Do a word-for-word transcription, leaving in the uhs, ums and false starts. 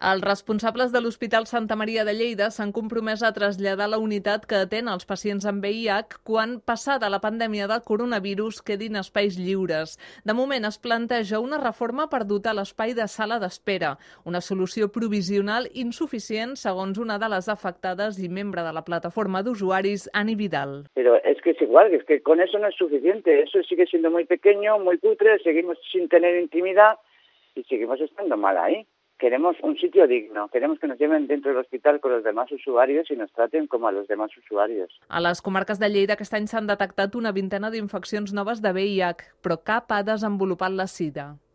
Els responsables de l'Hospital Santa Maria de Lleida s'han compromès a traslladar la unitat que atén els pacients amb V I H quan, passada la pandèmia del coronavirus, quedin espais lliures. De moment es planteja una reforma per dotar l'espai de sala d'espera, una solució provisional insuficient, segons una de les afectades i membre de la plataforma d'usuaris, Ani Vidal. Pero es que es igual, es que con eso no es suficiente, eso sigue siendo muy pequeño, muy cutre, seguimos sin tener intimidad y seguimos estando mal ahí. Queremos un sitio digno, queremos que nos lleven dentro del hospital con los demás usuarios y nos traten como a los demás usuarios. A les comarques de Lleida aquest any s'han detectat una vintena d'infeccions noves de V I H, però cap ha desenvolupat la sida.